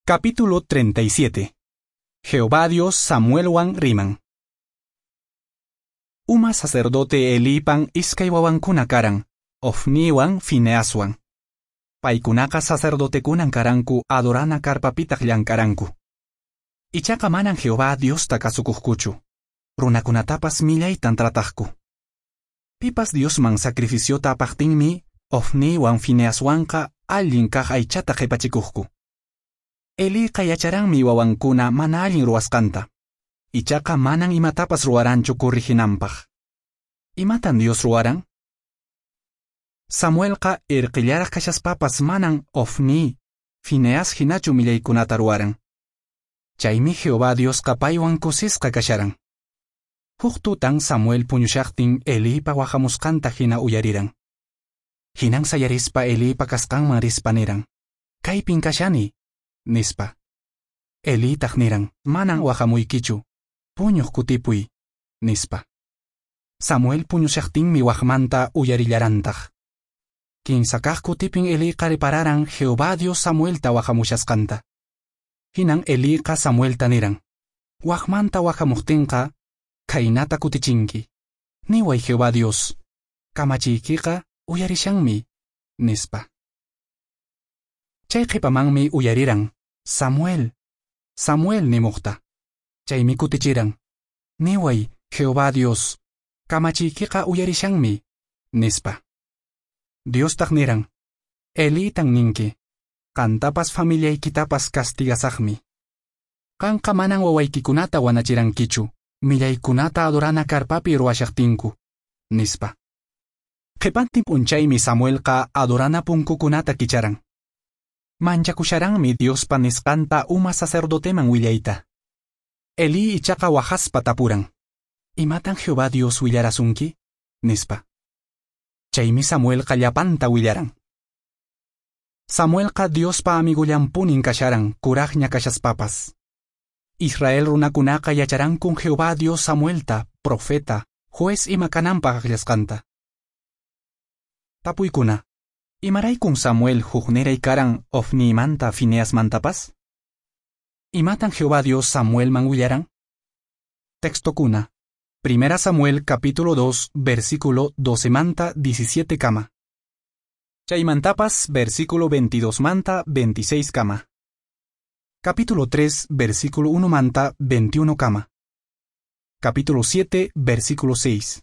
Capítulo 37. Jehová Dios Samuelwan riman. Uma sacerdote Elipan iskay wawankuna karan, Ofniwan Fineaswan. Paykunaqa sacerdotekunan karanku adorana karpapitaq llank'aranku. Ichaqa manan Jehová Diosta kasukuqkuchu. Runakunatapas millaytan trataqku. Pipas Diosman sacrificiota apaqtinmi, Ofniwan Fineaswanqa allin kaq aychata qhipachikuqku. Eliqa yacharanmi wawankuna mana allin ruwasqanta. Ichaqa manan imatapas ruwaranchu corriginanpaq. Imatan Dios ruwaran? Samuelqa irqillaraq kashaspapas manan Ofni, Fineas hinachu millaykunata ruwaran. Chaymi Jehová Diosqa paywan kusisqa kasharan. Huk tutan Samuel puñushaqtin Elipa wahamusqanta hina uyariran. Hinan sayarispa Elipa kasqanman rispa niran: "Kaypin kashani", nispa. Elitaq niran: "Manan wahamuykichu, puñuq kutipuy", nispa. Samuel puñushaqtinmi waqmanta uyarillarantaq. Kinsa kaq kutipin Eliqa repararan Jehová Dios Samuelta wahamushasqanta. Hinan Eliqa Samuelta niran: "Waqmanta wahamuqtinqa khaynata kutichinki. Niway Jehová Dios, kamachiykiqa uyarishanmi", nispa. Chay qhipamanmi uyariran: "Samuel, Samuel" nimuqta. Chaymi kutichiran: "Niway Jehová Dios, kamachiykiqa uyarishanmi", nispa. Diostaq niran: "Elitan ninki, qantapas familiaykitapas castigasaqmi. Qanqa manan wawaykikunata wanachirankichu, millaykunata adorana karpapi ruwashaqtinku", nispa. Qhipantin p'unchaymi Samuelqa adorana punkukunata kicharan. Manchakusharanmi Diospa nisqanta uma sacerdoteman willayta. Eli ichaqa wahaspa tapuran: "Imatan Jehová Dios willarasunki?" nispa. Chaymi Samuelqa llapanta willaran. Samuelqa Diospa amigullanpunin kasharan kuraqña kashaspapas. Israel runakunaqa yacharankun Jehová Dios Samuelta, profeta, juez ima kananpaq akllasqanta. Tapuykuna: Imaraykun Samuel hukniray karan Ofnimanta Fineasmantapas? Imatan Jehová Dios Samuelman willaran? Textokuna: Primera Samuel capítulo 2 versículo 12 manta 17 kama. Chaymantapas versículo 22 manta 26 kama. Capítulo 3 versículo 1 manta 21 kama. Capítulo 7 versículo 6.